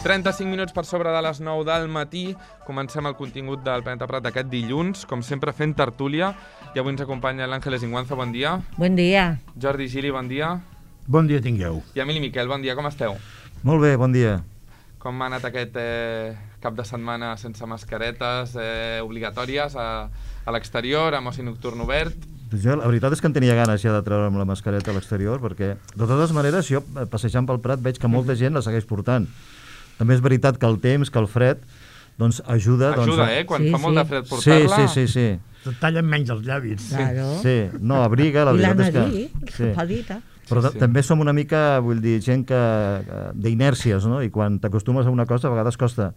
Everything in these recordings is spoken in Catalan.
35 minuts per sobre de les 9 del matí. Comencem el contingut del Planeta Prat d'aquest dilluns, com sempre fent tertúlia. I avui ens acompanya l'Àngeles Inguanza, bon dia. Bon dia. Jordi Gili, bon dia. Bon dia tingueu. I Emili Miquel, bon dia, com esteu? Molt bé, bon dia. Com ha anat aquest cap de setmana sense mascaretes obligatòries a l'exterior, amb oci nocturn obert? Jo, la veritat és que en tenia ganes ja de treure'm la mascareta a l'exterior, perquè de totes maneres jo passejant pel Prat veig que molta gent la segueix portant. També és veritat que el temps, que el fred, doncs ajuda... Ajuda, quan fa molt de fred portar-la... Sí. Et tallen menys els llavis. Claro. Sí, no, abriga, la veritat és que... I la nariz, Però també som una mica, vull dir, gent d'inèrcies, no? I quan t'acostumes a una cosa, a vegades costa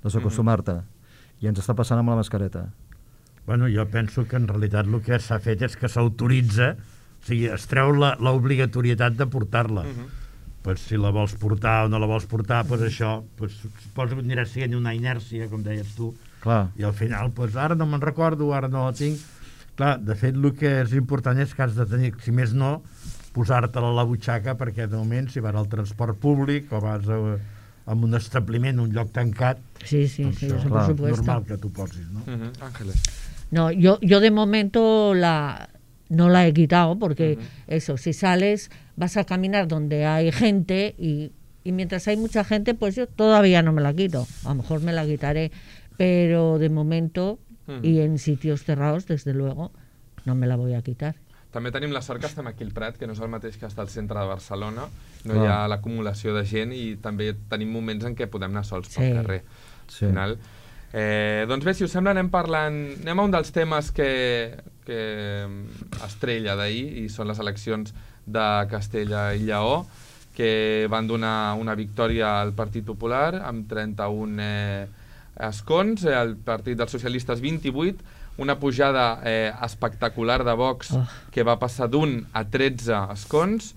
desacostumar-te. I ens està passant amb la mascareta. Bueno, jo penso que en realitat el que s'ha fet és que s'autoritza, o sigui, es treu l'obligatorietat de portar-la. Pues si la vols portar o no la vols portar, pues això, pues, suposo que anirà sent una inèrcia, com deies tu. Clar. I al final, pues ara no me'n recordo, ara no la tinc. Clar, de fet, el que és important és que has de tenir, si més no, posar-te-la a la butxaca, perquè de moment, si vas al transport públic o vas a un establiment, un lloc tancat, sí, doncs eso això, por supuesto. normal que tu posis, ¿no? Ángeles. No, yo de momento no la he quitado porque eso, si sales vas a caminar donde hay gente y mientras hay mucha gente, pues yo todavía no me la quito. A lo mejor me la quitaré, pero de momento y en sitios cerrados, desde luego, no me la voy a quitar. També tenim la sort que estem aquí al Prat, que no és el mateix que estar al centre de Barcelona. No hi ha l'acumulació de gent i també tenim moments en què podem anar sols pel carrer. Sí. Al final. Doncs bé, si us sembla, anem a un dels temes que estrella d'ahir, i són les eleccions de Castella i Lleó, que van donar una victòria al Partit Popular amb 31 escons, el Partit dels Socialistes 28, una pujada espectacular de Vox que va passar d'1 a 13 escons,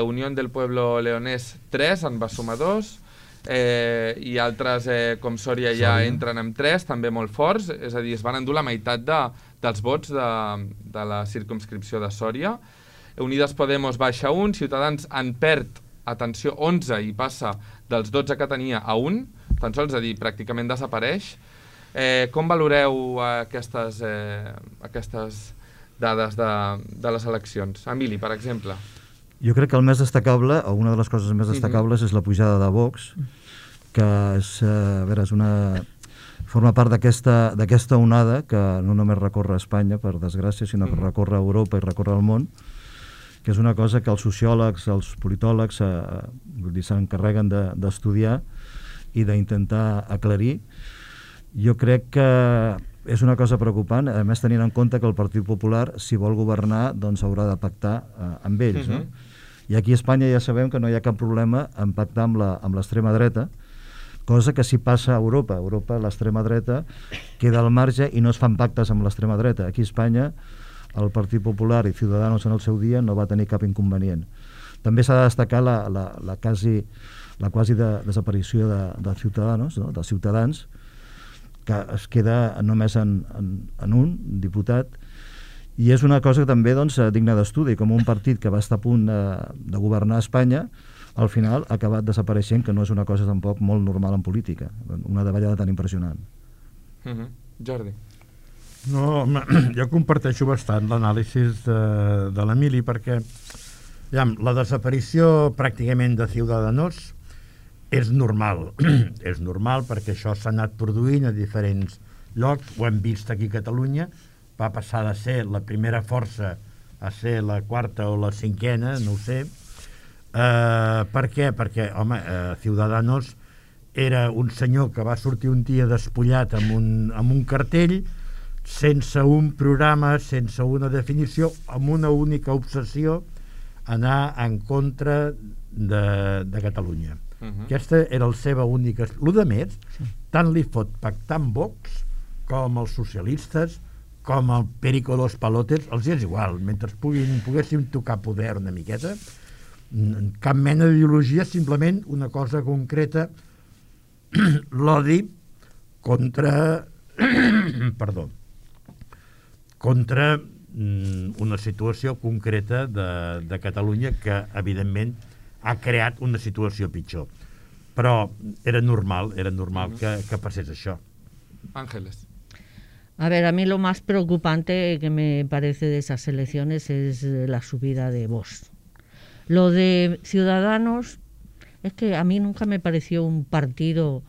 Unión del Pueblo Leonés 3, en va sumar 2, i altres com Sòria ja entren amb 3, també molt forts, és a dir, es van endur la meitat dels vots de la circumscripció de Sòria. Unides Podemos baixa 1, Ciutadans en perd, atenció, 11 i passa dels 12 que tenia a 1, tan sols, és a dir, pràcticament desapareix. Com valoreu aquestes dades de les eleccions? Emili, per exemple. Jo crec que el més destacable, o una de les coses més destacables, és la pujada de Vox, que forma part d'aquesta onada que no només recorre Espanya, per desgràcia, sinó que recorre Europa i recorre el món, que és una cosa que els sociòlegs, els politòlegs s'encarreguen d'estudiar i d'intentar aclarir. Jo crec que és una cosa preocupant, a més tenint en compte que el Partit Popular, si vol governar, doncs haurà de pactar amb ells. No? I aquí a Espanya ja sabem que no hi ha cap problema en pactar amb l'extrema dreta, cosa que sí passa a Europa. A Europa l'extrema dreta queda al marge i no es fan pactes amb l'extrema dreta. Aquí a Espanya el Partit Popular i Ciudadanos en el seu dia no va tenir cap inconvenient. També s'ha de destacar la quasi desaparició de Ciudadanos, no? dels ciutadans, que es queda només en un diputat, i és una cosa que també digna d'estudi, com un partit que va estar a punt de governar Espanya, al final ha acabat desapareixent, que no és una cosa tampoc molt normal en política, una davallada tan impressionant. Jordi. No, jo comparteixo bastant l'anàlisi de l'Emili, perquè la desaparició pràcticament de Ciudadanos és normal. És normal perquè això s'ha anat produint a diferents llocs, ho hem vist aquí a Catalunya, va passar de ser la primera força a ser la quarta o la cinquena, no ho sé. Per què? Perquè, home, Ciudadanos era un senyor que va sortir un dia despullat amb un cartell, sense un programa, sense una definició, amb una única obsessió, anar en contra de Catalunya. Aquesta era la seva única... El de més, tant li fot pactar amb Vox com els socialistes, com el Perico Los Palotes, els és igual, mentre poguéssim tocar poder una miqueta, cap mena d'ideologia, simplement una cosa concreta, l'odi contra una situació concreta de Catalunya que, evidentment, ha creat una situació pitjor. però era normal que passés això. Ángeles. A ver, a mí lo más preocupante que me parece de esas elecciones es la subida de Vox. Lo de Ciudadanos es que a mí nunca me pareció un partido,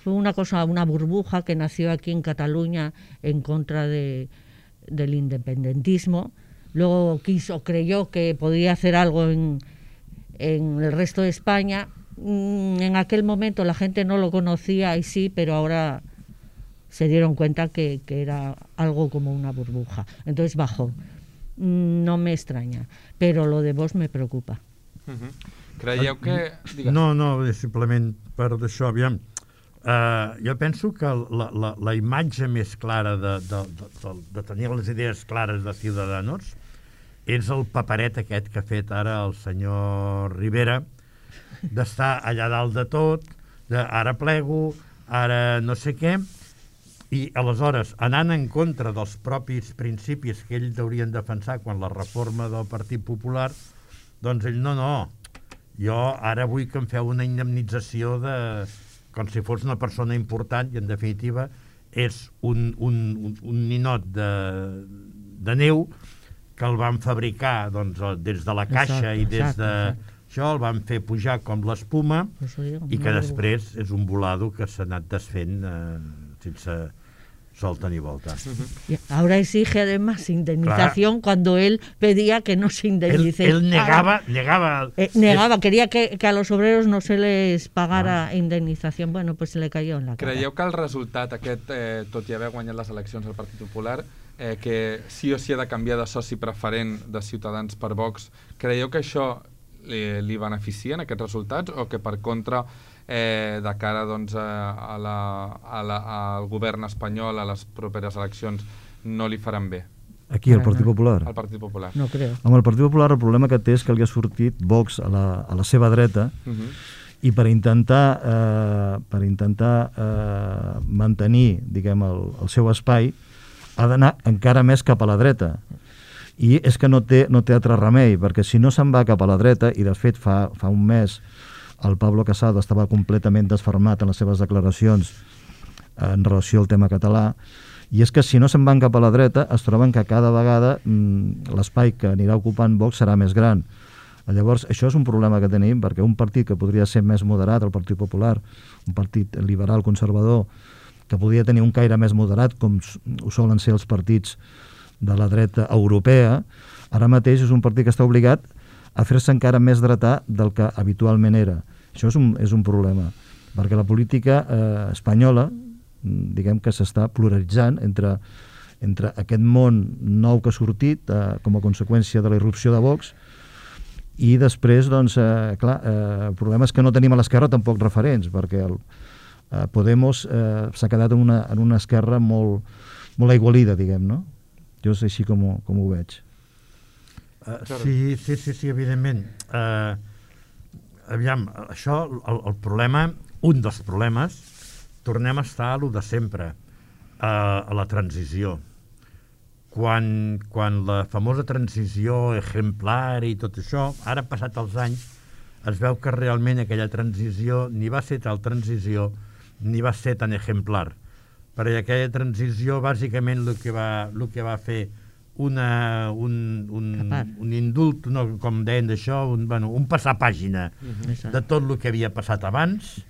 fue una cosa, una burbuja que nació aquí en Cataluña en contra del independentismo. Luego creyó que podía hacer algo en el resto de España. En aquel momento la gente no lo conocía y sí, pero ahora se dieron cuenta que era algo como una burbuja. Entonces bajó. No me extraña, però lo de Vox me preocupa. Creieu que... No, simplement per d'això, aviam. Jo penso que la imatge més clara de tenir les idees clares de Ciudadanos és el paperet aquest que ha fet ara el senyor Rivera, d'estar allà dalt de tot, ara plego, ara no sé què, i aleshores, anant en contra dels propis principis que ells haurien defensar quan la reforma del Partit Popular, doncs ell no, jo ara vull que em feu una indemnització com si fos una persona important i en definitiva és un ninot de neu que el van fabricar des de la caixa i des de això, el van fer pujar com l'espuma i que després és un volado que s'ha anat desfent sense solta ni volta. Y ahora exige además indemnización cuando él pedía que no se indemnice. Él negaba, quería que a los obreros no se les pagara indemnización. Bueno, pues se le cayó en la cara. Creieu que el resultat aquest, tot i haver guanyat les eleccions al Partit Popular, que sí o sí ha de canviar de soci preferent de Ciutadans per Vox, creieu que això li beneficien aquests resultats o que per contra de cara doncs, al govern espanyol a les properes eleccions no li faran bé? Aquí, al Partit Popular? Al Partit Popular. No creo. Amb el Partit Popular el problema que té és que li ha sortit Vox a la seva dreta i per intentar mantenir, diguem, el seu espai ha d'anar encara més cap a la dreta. I és que no té altre remei, perquè si no se'n va cap a la dreta, i de fet fa un mes el Pablo Casado estava completament desfermat en les seves declaracions en relació al tema català, i és que si no se'n van cap a la dreta es troben que cada vegada l'espai que anirà ocupant Vox serà més gran. Llavors això és un problema que tenim, perquè un partit que podria ser més moderat, el Partit Popular, un partit liberal conservador que podria tenir un caire més moderat com ho solen ser els partits de la dreta europea, ara mateix és un partit que està obligat a fer-se encara més dretà del que habitualment era. Això és un problema, perquè la política espanyola, diguem que s'està pluralitzant entre aquest món nou que ha sortit com a conseqüència de la irrupció de Vox i després, doncs, clar, el problema és que no tenim a l'esquerra tampoc referents, perquè Podemos s'ha quedat en una esquerra molt aigualida, diguem, no? Jo és així com ho veig. Sí, evidentment. Aviam, això, el problema, un dels problemes, tornem a estar a lo de sempre, a la transició. Quan la famosa transició exemplar i tot això, ara passat els anys, es veu que realment aquella transició ni va ser tal transició ni va ser tan exemplar. Perquè aquella transició, bàsicament, el que va fer un indult, no, com deien d'això, un passar pàgina de tot el que havia passat abans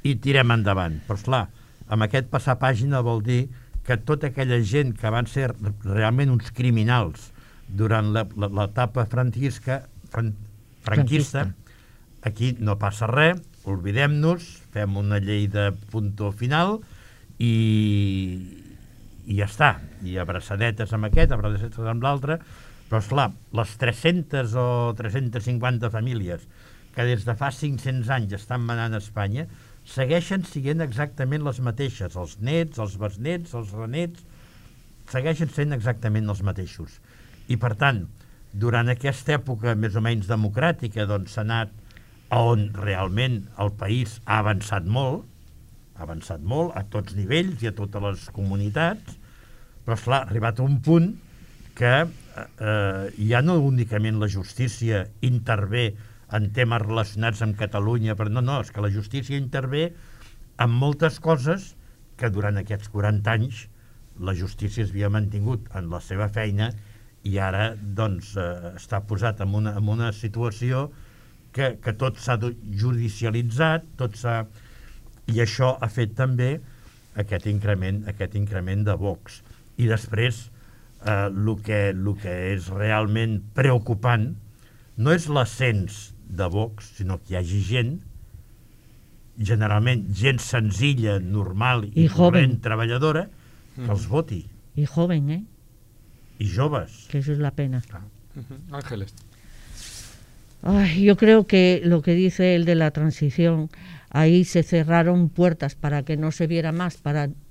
i tirem endavant. Però, esclar, amb aquest passar pàgina vol dir que tota aquella gent que van ser realment uns criminals durant l'etapa franquista, aquí no passa res, oblidem-nos, fem una llei de punto final i ja està, i abraçadetes amb aquest, abraçadetes amb l'altre, però esclar, les 300 o 350 famílies que des de fa 500 anys estan manant a Espanya segueixen sent exactament les mateixes, els nets, els besnets, els renets, segueixen sent exactament els mateixos. I per tant, durant aquesta època més o menys democràtica, doncs s'ha anat on realment el país ha avançat molt a tots nivells i a totes les comunitats, però esclar, ha arribat a un punt que ja no únicament la justícia intervé en temes relacionats amb Catalunya, però no, és que la justícia intervé en moltes coses que durant aquests 40 anys la justícia es havia mantingut en la seva feina i ara doncs està posat en una situació que tot s'ha judicialitzat, i això ha fet també aquest increment de Vox. I després el que és realment preocupant no és l'ascens de Vox, sinó que hi hagi gent, generalment gent senzilla, normal i corrent, treballadora, que els voti. Y joven, Y joves. Que eso es la pena. Ángeles. Ay, yo creo que lo que dice el de la transición, ahí se cerraron puertas para que no se viera más,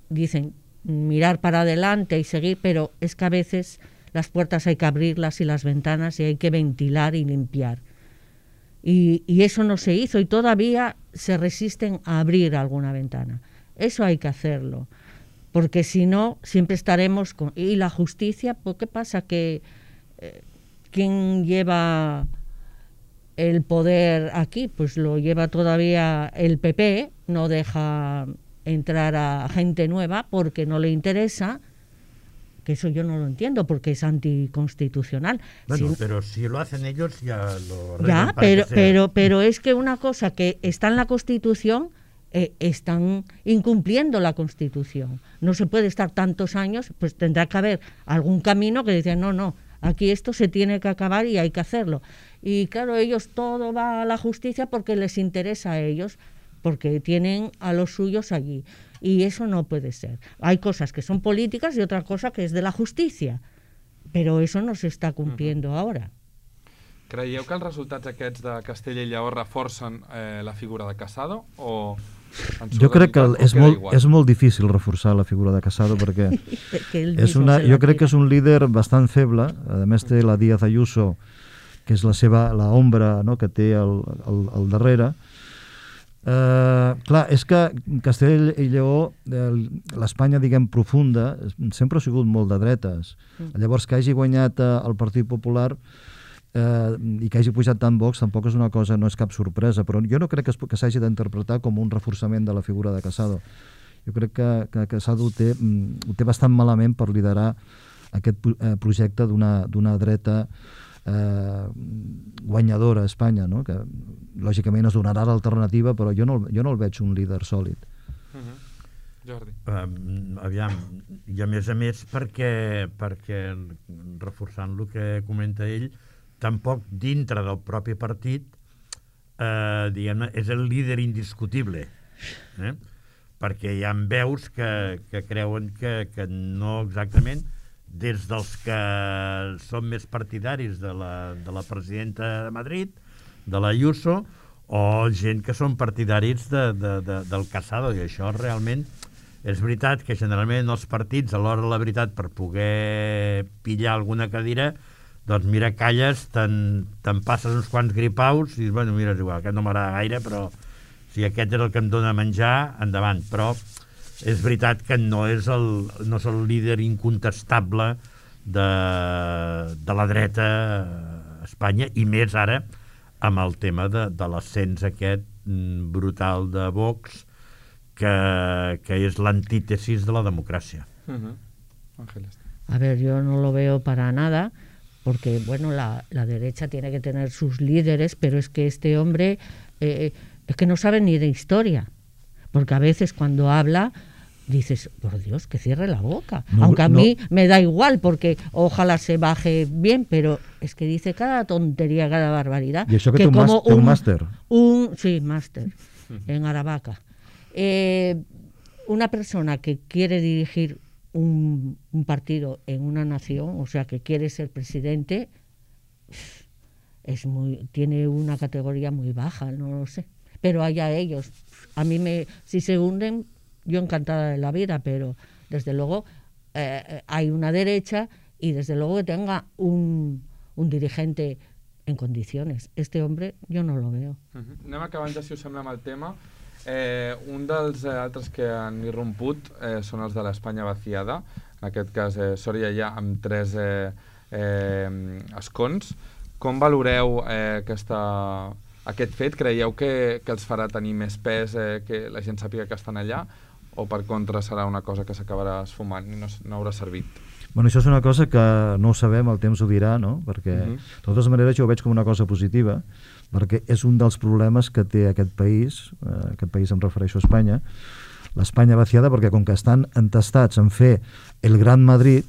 dicen, mirar para adelante y seguir, pero es que a veces las puertas hay que abrirlas y las ventanas y hay que ventilar y limpiar. Y eso no se hizo y todavía se resisten a abrir alguna ventana. Eso hay que hacerlo, porque si no, siempre estaremos con... Y la justicia, pues ¿qué pasa? Que ¿quién lleva el poder aquí? Pues lo lleva todavía el PP, no deja entrar a gente nueva porque no le interesa, que eso yo no lo entiendo porque es anticonstitucional. Bueno, pero si lo hacen ellos ya lo arreglan. Ya, pero es que una cosa que está en la Constitución, están incumpliendo la Constitución. No se puede estar tantos años, pues tendrá que haber algún camino que dice no, aquí esto se tiene que acabar y hay que hacerlo. Y claro, ellos todo va a la justicia porque les interesa a ellos, porque tienen a los suyos allí. Y eso no puede ser. Hay cosas que son políticas y otra cosa que es de la justicia. Pero eso no se está cumpliendo ahora. Creieu que els resultats aquests de Castella i Lleó reforcen la figura de Casado? O jo crec que és molt difícil reforçar la figura de Casado perquè jo crec que és un líder bastant feble. A més té la Díaz Ayuso, que és la ombra, no?, que té al darrere. Clar, és que Castella i Lleó, l'Espanya, diguem, profunda, sempre ha sigut molt de dretes. Llavors, que hagi guanyat el Partit Popular i que hagi pujat tant Vox tampoc és una cosa, no és cap sorpresa, però jo no crec que s'hagi d'interpretar com un reforçament de la figura de Casado. Jo crec que Casado ho té bastant malament per liderar aquest projecte d'una dreta guanyadora a Espanya, no? Que lògicament es donarà l'alternativa, però jo no el veig un líder sòlid. Jordi. Aviam, i a més perquè reforçant el que comenta ell, tampoc dintre del propi partit diguem-ne, és el líder indiscutible, perquè hi ha veus que creuen que no exactament, des dels que són més partidaris de la presidenta de Madrid, de la Ayuso, o gent que són partidaris del Casado, i això realment és veritat que generalment els partits, a l'hora de la veritat, per poder pillar alguna cadira, doncs mira, calles, te'n passes uns quants gripaus i dius, bueno, mira, és igual, aquest no m'agrada gaire, però si aquest és el que em dona menjar, endavant. Però és veritat que no és el líder incontestable de la dreta a Espanya, i més ara amb el tema de l'ascens aquest brutal de Vox, que és l'antítesis de la democràcia. Ángeles. A ver, yo no lo veo para nada, porque bueno, la derecha tiene que tener sus líderes, pero es que este hombre es que no sabe ni de historia, porque a veces cuando habla dices, por Dios, que cierre la boca, aunque a mí me da igual, porque ojalá se baje bien, pero es que dice cada tontería, cada barbaridad. Y eso que como un máster. Sí, máster, en Aravaca. Una persona que quiere dirigir un partido en una nación, o sea, que quiere ser presidente, tiene una categoría muy baja, no lo sé. Pero allá ellos. A mí si se hunden, yo encantada de la vida, pero desde luego hay una derecha y desde luego que tenga un dirigente en condiciones. Este hombre yo no lo veo. Anem acabant ja, si us sembla, amb el tema. Un dels altres que han irromput són els de l'Espanya vaciada, en aquest cas Sòria ja amb 3 escons. Com valoreu aquesta Aquest fet creieu que els farà tenir més pes, que la gent sàpiga que estan allà, o per contra serà una cosa que s'acabarà esfumant i no haurà servit? Bueno, això és una cosa que no ho sabem, el temps ho dirà, no? Perquè, de totes maneres, jo ho veig com una cosa positiva, perquè és un dels problemes que té aquest país em refereixo a Espanya, l'Espanya vaciada, perquè com que estan entestats en fer el Gran Madrid,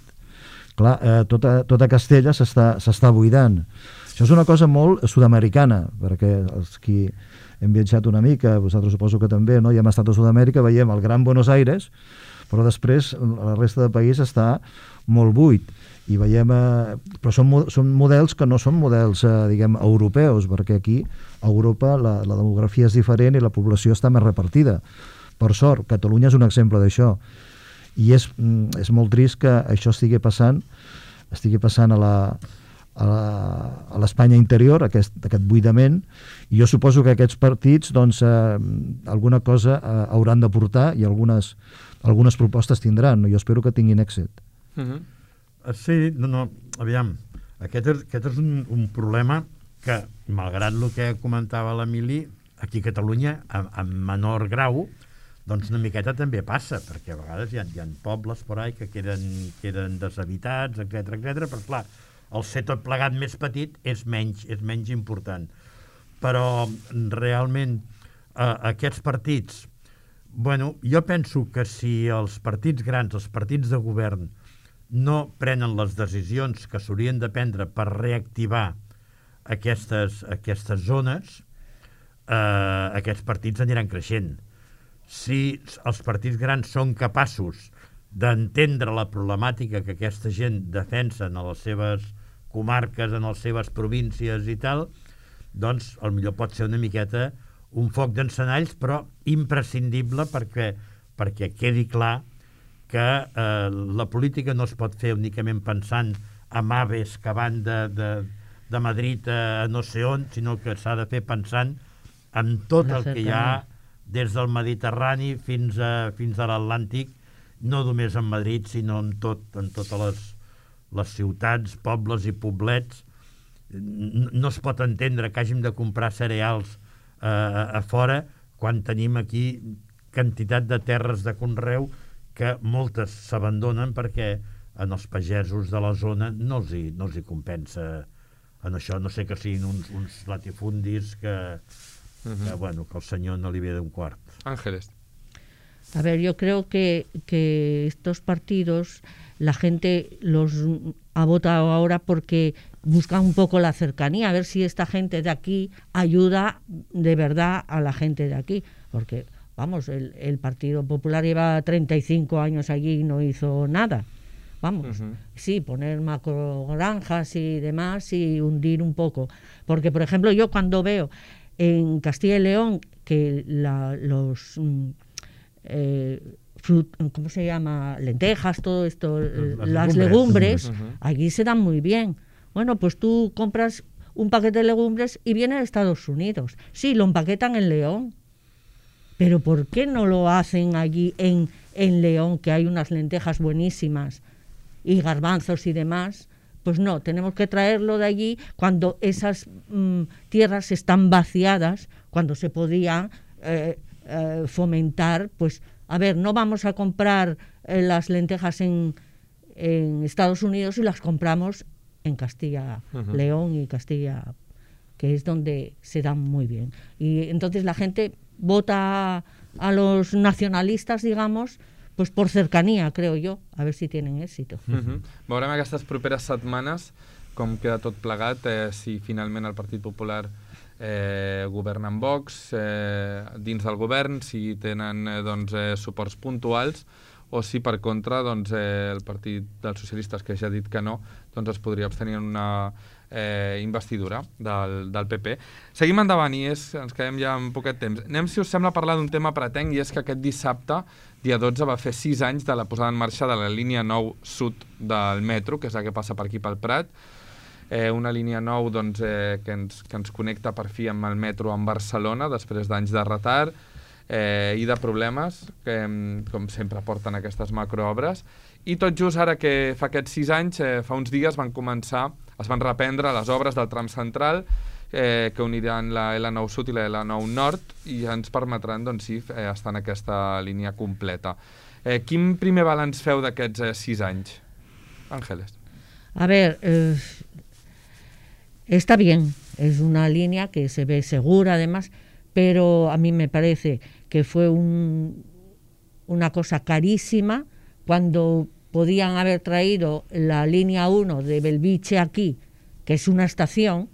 clar, tota Castella s'està buidant. Això és una cosa molt sud-americana, perquè els qui hem viatjat una mica, vosaltres suposo que també, no? I hem estat a Sud-amèrica, veiem el Gran Buenos Aires, però després la resta del país està molt buit. I veiem, però són models que no són models, diguem, europeus, perquè aquí a Europa la demografia és diferent i la població està més repartida. Per sort, Catalunya és un exemple d'això. I és molt trist que això estigui passant a l'Espanya interior, aquest buidament, i jo suposo que aquests partits doncs, alguna cosa hauran de portar i algunes propostes tindran. Jo espero que tinguin èxit. Sí, aviam, aquest és un problema que, malgrat el que comentava l'Emili, aquí a Catalunya, en menor grau, doncs una miqueta també passa, perquè a vegades hi ha pobles por ahí que queden deshabitats, etc, però clar, el ser tot plegat més petit és menys important. Però realment aquests partits, bueno, jo penso que si els partits grans, els partits de govern, no prenen les decisions que s'haurien de prendre per reactivar aquestes zones, aquests partits aniran creixent. Si els partits grans són capaços d'entendre la problemàtica que aquesta gent defensa en les seves comarques, en les seves províncies i tal, doncs potser pot ser una miqueta un foc d'encenalls, però imprescindible perquè quedi clar que la política no es pot fer únicament pensant en aves que van de Madrid a no sé on, sinó que s'ha de fer pensant en tot el que hi ha des del Mediterrani fins a l'Atlàntic, no només en Madrid, sinó en totes les ciutats, pobles i poblets. No es pot entendre que hàgim de comprar cereals a fora quan tenim aquí quantitat de terres de conreu que moltes s'abandonen perquè en els pagesos de la zona no els hi compensa en això, no sé que siguin uns latifundis que el señor no le ve de un cuarto. Ángeles. A ver, yo creo que estos partidos la gente los ha votado ahora porque buscan un poco la cercanía, a ver si esta gente de aquí ayuda de verdad a la gente de aquí, porque vamos, el Partido Popular lleva 35 años allí y no hizo nada. Vamos, sí, poner macrogranjas y demás y hundir un poco, porque por ejemplo yo cuando veo en Castilla y León que ¿cómo se llama? Lentejas, todo esto, las legumbres, allí se dan muy bien. Bueno, pues tú compras un paquete de legumbres y viene de Estados Unidos. Sí, lo empaquetan en León. Pero ¿por qué no lo hacen allí en León, que hay unas lentejas buenísimas y garbanzos y demás? Pues no, tenemos que traerlo de allí cuando esas tierras están vaciadas, cuando se podía fomentar, pues, a ver, no vamos a comprar las lentejas en Estados Unidos y las compramos en Castilla, León y Castilla, que es donde se dan muy bien. Y entonces la gente vota a los nacionalistas, digamos, pues por cercanía, creo yo, a ver si tienen èxit. Veurem aquestes properes setmanes com queda tot plegat, si finalment el Partit Popular governa amb Vox dins del govern, si tenen suports puntuals, o si per contra el Partit dels Socialistes, que ja ha dit que no, es podria abstenir en una investidura del PP. Seguim endavant i ens quedem ja en poquet temps. Anem, si us sembla, a parlar d'un tema pretenc, i és que aquest dissabte, dia 12, va fer 6 anys de la posada en marxa de la línia 9 sud del metro, que és la que passa per aquí pel Prat. Una línia 9 que ens connecta per fi amb el metro en Barcelona, després d'anys de retard i de problemes que, com sempre, porten aquestes macroobres. I tot just ara que fa aquests 6 anys, fa uns dies es van reprendre les obres del tram central que uniran la L9 Sud i la L9 Nord i ens permetran, doncs sí, estar en aquesta línia completa. Quin primer balanç feu d'aquests 6 anys? Ángeles. A ver, está bien, es una línea que se ve segura además, pero a mí me parece que fue una cosa carísima cuando podían haber traído la línea 1 de Belviche aquí, que es una estación,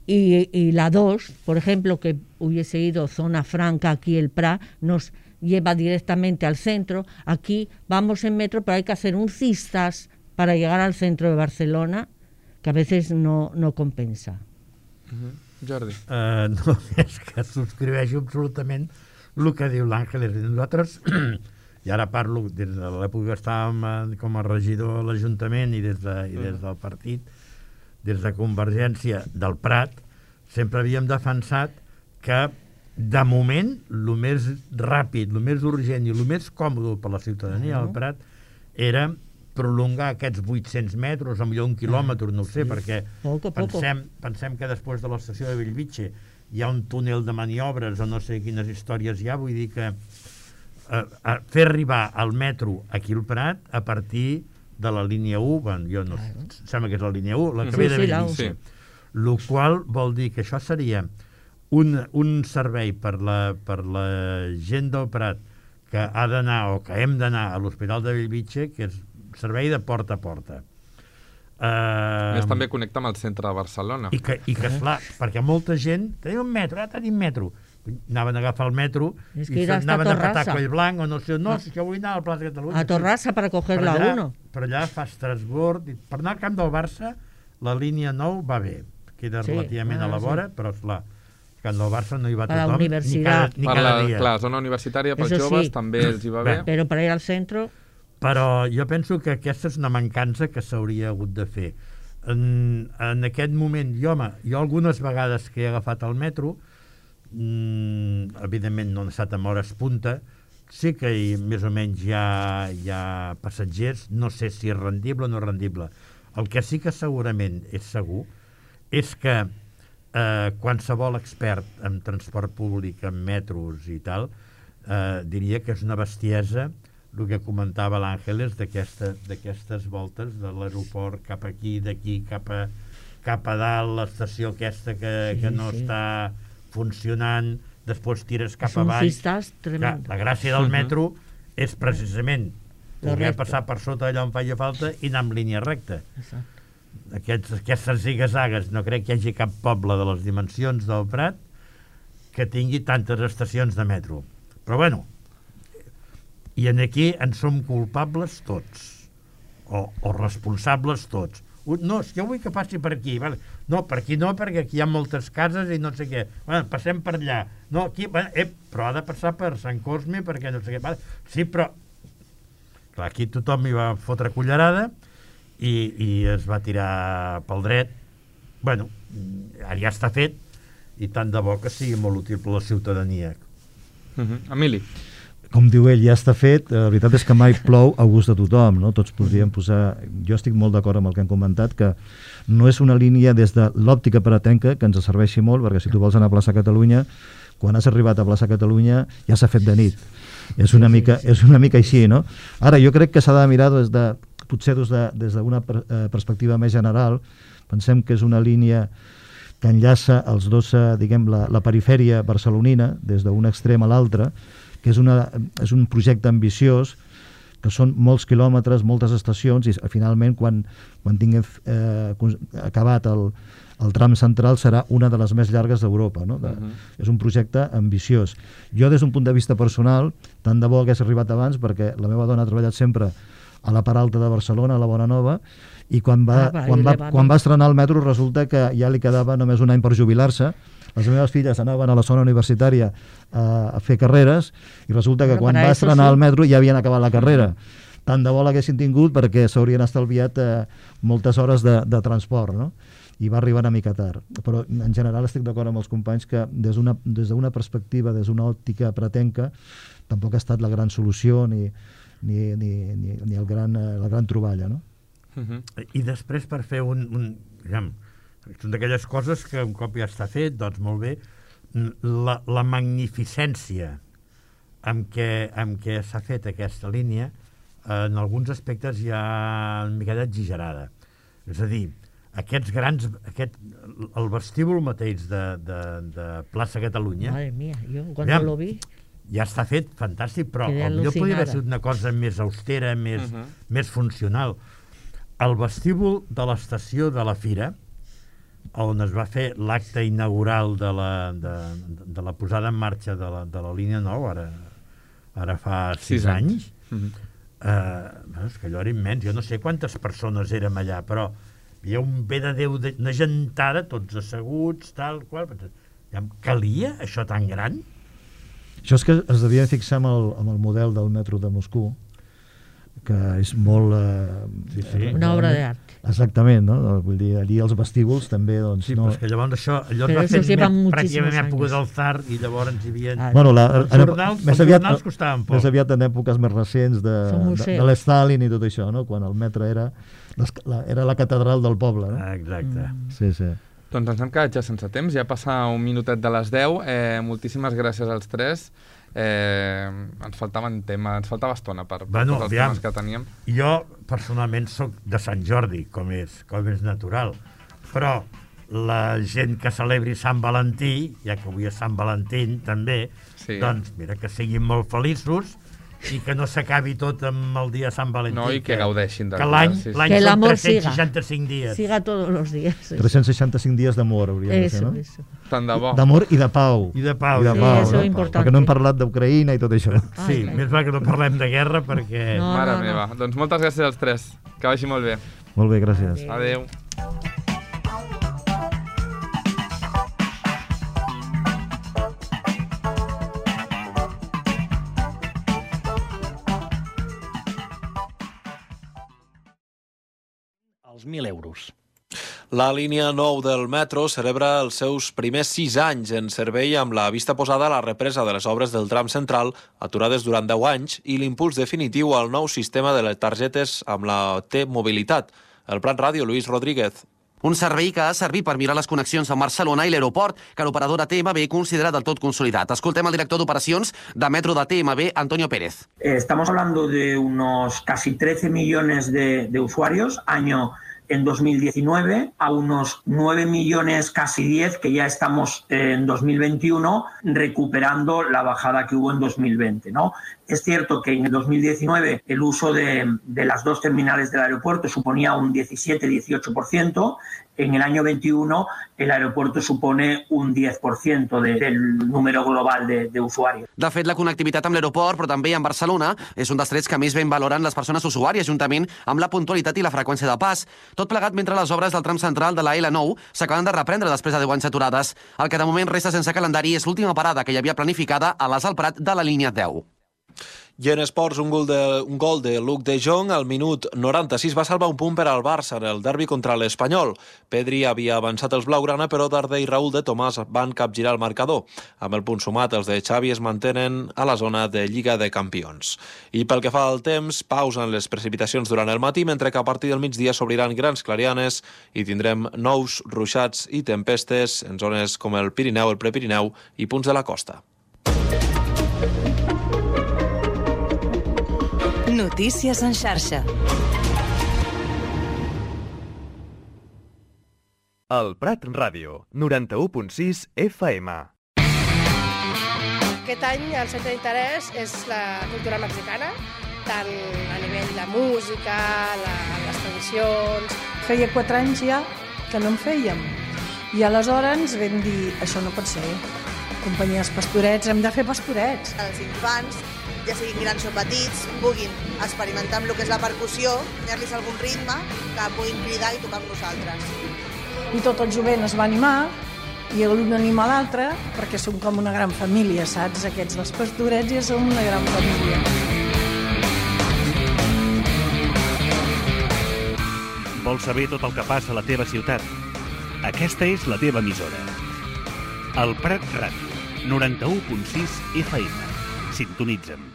y la 2, por ejemplo, que hubiese ido Zona Franca aquí el Prat, nos lleva directamente al centro. Aquí vamos en metro, pero hay que hacer un cistas para llegar al centro de Barcelona, que a veces no compensa. Jordi. No, és que subscriveixo absolutament el que diu l'Àngeles. Nosaltres, i ara parlo des de l'època que estàvem com a regidor a l'Ajuntament i des del partit, des de Convergència del Prat, sempre havíem defensat que de moment el més ràpid, el més urgent i el més còmode per a la ciutadania del Prat era prolongar aquests 800 metres, o millor 1 quilòmetre, no ho sé, perquè pensem que després de l'estació de Bellvitge hi ha un túnel de maniobres o no sé quines històries hi ha, vull dir que fer arribar el metro aquí al Prat a partir de la línia 1, bueno, jo no sembla que és la línia 1, la que ve de Bellvitge, el qual vol dir que això seria un servei per la gent del Prat que ha d'anar o que hem d'anar a l'Hospital de Bellvitge, que és servei de porta a porta. Més també connecta amb el centre de Barcelona. I que esclar, perquè molta gent tenim un metro, tenim metro. Anaven a agafar el metro i anaven a petar Collblanc o no sé, no, si jo vull anar a la plaça de Catalunya. A Torrassa per coger la 1. Per allà fa Estrasburg. Per anar al camp del Barça, la línia 9 va bé. Queda relativament a la vora, però esclar, al camp del Barça no hi va tothom ni cada dia. Clar, zona universitària pels joves també els hi va bé. Però per ir al centre... Però jo penso que aquesta és una mancança que s'hauria hagut de fer. En aquest moment, jo algunes vegades que he agafat el metro, evidentment no he estat amb hores punta, sí que més o menys hi ha passatgers, no sé si és rendible o no rendible. El que sí que segurament és segur és que qualsevol expert en transport públic, en metros i tal, diria que és una bestiesa el que comentava l'Àngeles d'aquestes voltes de l'aeroport cap aquí, d'aquí cap a dalt, l'estació aquesta que no està funcionant, després tires cap avall. La gràcia del metro és precisament poder passar per sota allà on faci falta i anar en línia recta. Aquestes zigazagues, no crec que hi hagi cap poble de les dimensions del Prat que tingui tantes estacions de metro. Però bueno, i aquí en som culpables tots o responsables tots. No, jo vull que passi per aquí. No, per aquí no, perquè aquí hi ha moltes cases i no sé què. Passem per allà. No, aquí, però ha de passar per Sant Cosme perquè no sé què. Sí, però clar, aquí tothom hi va fotre cullerada i es va tirar pel dret. Bueno, ara ja està fet i tant de bo que sigui molt útil per la ciutadania. Emili. Com diu ell, ja està fet. La veritat és que mai plou a gust de tothom, no? Tots podríem posar... Jo estic molt d'acord amb el que han comentat, que no és una línia des de l'òptica pratenca que ens serveixi molt, perquè si tu vols anar a plaça Catalunya, quan has arribat a plaça Catalunya ja s'ha fet de nit. És una mica així, no? Ara, jo crec que s'ha de mirar potser des d'una perspectiva més general. Pensem que és una línia que enllaça els dos, diguem, la perifèria barcelonina, des d'un extrem a l'altre, que és un projecte ambiciós, que són molts quilòmetres, moltes estacions, i finalment, quan tinguem acabat el tram central, serà una de les més llargues d'Europa. No? És un projecte ambiciós. Jo, des d'un punt de vista personal, tant de bo hagués arribat abans, perquè la meva dona ha treballat sempre a la part alta de Barcelona, a la Bonanova, i quan va estrenar el metro resulta que ja li quedava només un any per jubilar-se. Les meves filles anaven a la zona universitària a fer carreres i resulta que quan va estrenar el metro ja havien acabat la carrera. Tant de bo l'haguessin tingut perquè s'haurien estalviat moltes hores de transport, no? I va arribar una mica tard. Però en general estic d'acord amb els companys que des d'una perspectiva, des d'una òptica pratenca, tampoc ha estat la gran solució ni la gran troballa, no? I després, per fer Són d'aquelles coses que un cop ja està fet, doncs molt bé. La magnificència amb què s'ha fet aquesta línia en alguns aspectes ja una miqueta exagerada. És a dir, el vestíbul mateix de Plaça Catalunya, madre mía, yo cuando lo vi ja està fet fantàstic, però potser podria haver sigut una cosa més austera, més funcional. El vestíbul de l'estació de la Fira, on es va fer l'acte inaugural de la posada en marxa de la línia 9, ara fa 6 anys, és que allò era immens. Jo no sé quantes persones érem allà, però hi ha un bé de Déu, una gentada, tots asseguts, tal qual. Calia això tan gran? Això és que es devia fixar amb el model del metro de Moscou, que és molt... una obra d'art. Exactament, no? Vull dir, allí els vestíbuls també, doncs... Sí, però és que llavors això va fer pràcticament època del Tsar i llavors hi havia... Bueno, els jornals costaven poc. Més aviat en èpoques més recents de l'Stalin i tot això, no? Quan el metro era la catedral del poble, no? Exacte. Sí. Doncs ens hem quedat ja sense temps, ja passa un minutet de les 10. Moltíssimes gràcies als tres. Ens faltava estona per tots els temes que teníem. Jo personalment soc de Sant Jordi, com és natural, però la gent que celebri Sant Valentí, ja que avui és Sant Valentí també, doncs mira, que siguin molt feliços i que no s'acabi tot amb el dia de Sant Valentí. No, i que gaudeixin de que l'any són 365 dies. Siga todos los días. 365 dies d'amor, hauríem de ser, no? Eso. Tant de bo. D'amor i de pau. I de pau. Sí, això és important. Perquè no hem parlat d'Ucraïna i tot això. Sí, més val que no parlem de guerra perquè... Mare meva. Doncs moltes gràcies als tres. Que vagi molt bé. Molt bé, gràcies. Adéu. Els 1.000 euros. La línia 9 del metro celebra els seus primers 6 anys en servei amb la vista posada a la represa de les obres del tram central, aturades durant 10 anys, i l'impuls definitiu al nou sistema de les targetes amb la T-Mobilitat. El Prat Ràdio, Lluís Rodríguez. Un servei que ha servit per mirar les connexions amb Barcelona i l'aeroport, que l'operadora TMB considera del tot consolidat. Escoltem el director d'operacions de Metro de TMB, Antonio Pérez. Estamos hablando de unos casi 13 millones de usuarios año en 2019, a unos 9 millones, casi 10, que ya estamos en 2021, recuperando la bajada que hubo en 2020, ¿no? Es cierto que en el 2019 el uso de las dos terminales del aeropuerto suponía un 17-18%, en el año 21 el aeropuerto supone un 10% del número global de usuarios. De fet, la connectivitat amb l'aeroport, però també amb Barcelona, és un dels trets que més ben valoren les persones usuàries, juntament amb la puntualitat i la freqüència de pas. Tot plegat mentre les obres del tram central de la L9 s'acaben de reprendre després de 10 anys aturades. El que de moment resta sense calendari és l'última parada que hi havia planificada a l'As al Prat de la línia 10. I en esports, un gol de Luc de Jong al minut 96 va salvar un punt per al Barça en el derbi contra l'Espanyol. Pedri havia avançat els blaugrana, però Darder i Raúl de Tomàs van capgirar el marcador. Amb el punt sumat, els de Xavi es mantenen a la zona de Lliga de Campions. I pel que fa al temps, pausen les precipitacions durant el matí, mentre que a partir del migdia s'obriran grans clarianes i tindrem nous ruixats i tempestes en zones com el Pirineu, el Prepirineu i punts de la costa. Notícies en xarxa. El Prat Ràdio, 91.6 FM. Aquest any el centre d'interès és la cultura mexicana, tant a nivell de música, les tradicions... Feia 4 anys ja que no en fèiem. I aleshores vam dir, això no pot ser. Companyia dels Pastorets, hem de fer pastorets. Els infants, ja siguin grans o petits, puguin experimentar amb el que és la percussió, ensenyar-los algun ritme que puguin cridar i tocar amb nosaltres. I tot el jovent es va animar, i l'un anima l'altre, perquè som com una gran família, saps? Aquests dels Pastorets ja som una gran família. Vols saber tot el que passa a la teva ciutat? Aquesta és la teva emissora. El Prat Ràdio, 91.6 FM. Sintonitza'm.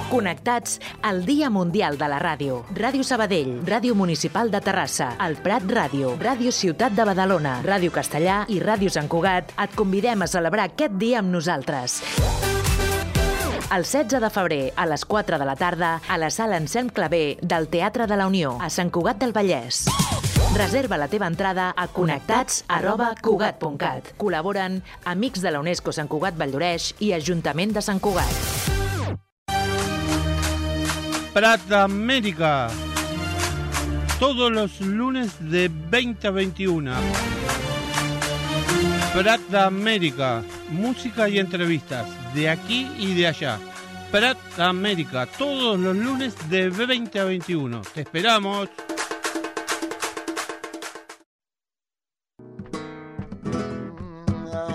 Connectats al Dia Mundial de la Ràdio. Ràdio Sabadell, Ràdio Municipal de Terrassa, el Prat Ràdio, Ràdio Ciutat de Badalona, Ràdio Castellà i Ràdio Sant Cugat et convidem a celebrar aquest dia amb nosaltres. El 16 de febrer, a les 4 de la tarda, a la sala Anselm Clavé del Teatre de la Unió, a Sant Cugat del Vallès. Reserva la teva entrada a connectats@cugat.cat. Col·laboren Amics de la UNESCO Sant Cugat Valldoreix i Ajuntament de Sant Cugat. Prat América. Todos los lunes de 20 a 21. Prat América. Música y entrevistas de aquí y de allá. Prat América. Todos los lunes de 20 a 21. Te esperamos.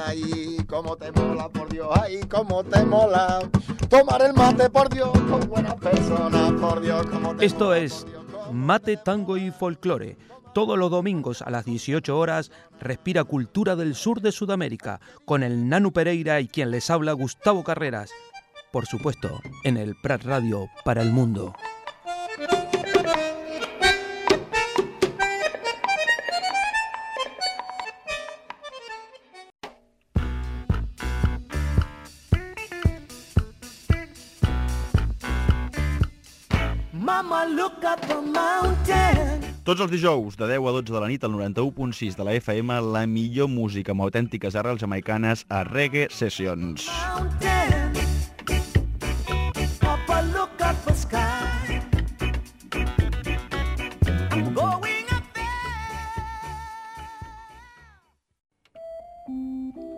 Ay, cómo te mola, por Dios, ay, cómo te mola. Tomar el mate, por Dios, con buenas personas, por Dios, cómo te Esto es Mate, Tango y Folclore. Todos los domingos a las 18 horas, respira cultura del sur de Sudamérica, con el Nanu Pereira y quien les habla, Gustavo Carreras. Por supuesto, en el Prat Radio para el mundo. Mama, look at the mountain. Tots els dijous, de 10 a 12 de la nit, al 91.6 de la FM, la millor música amb autèntiques arrels jamaicanes a Reggae Sessions. Papa, look at the sky. Going up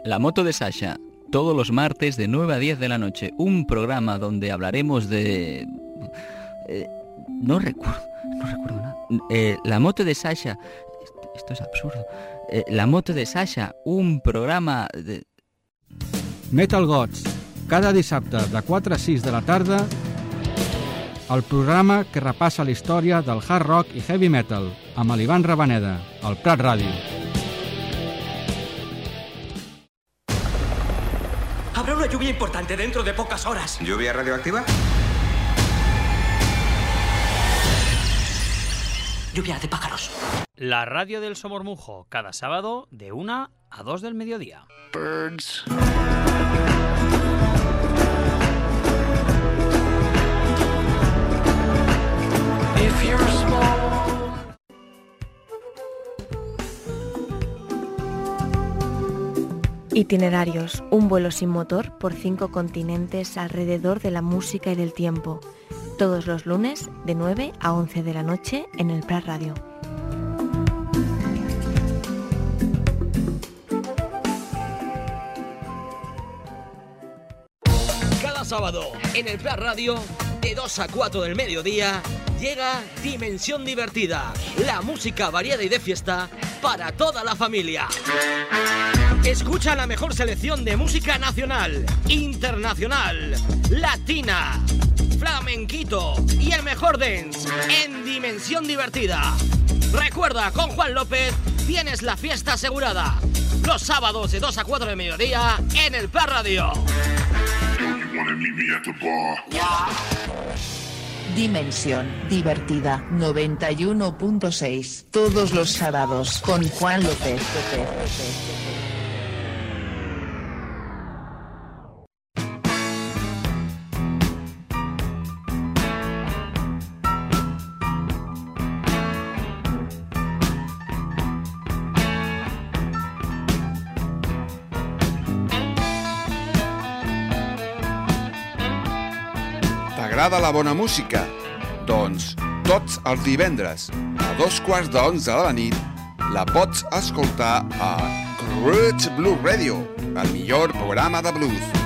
La moto de Sasha, todos los martes de 9 a 10 de la noche. Un programa donde hablaremos de... No recuerdo nada. La moto de Sasha, esto es absurdo. La moto de Sasha, un programa de... Metal Gods, cada dissabte de 4 a 6 de la tarda, el programa que repassa la història del hard rock i heavy metal, amb l'Ivan Rabaneda, al Prat Ràdio. Habrá una lluvia importante dentro de pocas horas. ¿Lluvia radioactiva? Lluvia de pájaros. La radio del Somormujo, cada sábado de 1 a 2 del mediodía. Birds. if you're small. Itinerarios, un vuelo sin motor por 5 continentes alrededor de la música y del tiempo. Todos los lunes de 9 a 11 de la noche en el Prat Radio. Cada sábado en el Prat Radio, de 2 a 4 del mediodía, llega Dimensión Divertida, la música variada y de fiesta para toda la familia. Escucha la mejor selección de música nacional, internacional, latina, flamenquito y el mejor dance en Dimensión Divertida. Recuerda, con Juan López tienes la fiesta asegurada. Los sábados de 2 a 4 del mediodía en el Prat Radio. Dimensión Divertida 91.6 todos los sábados con Juan López. T'agrada la bona música? Doncs tots els divendres a 11:15 de la nit la pots escoltar a Roots Blues Radio, el millor programa de blues.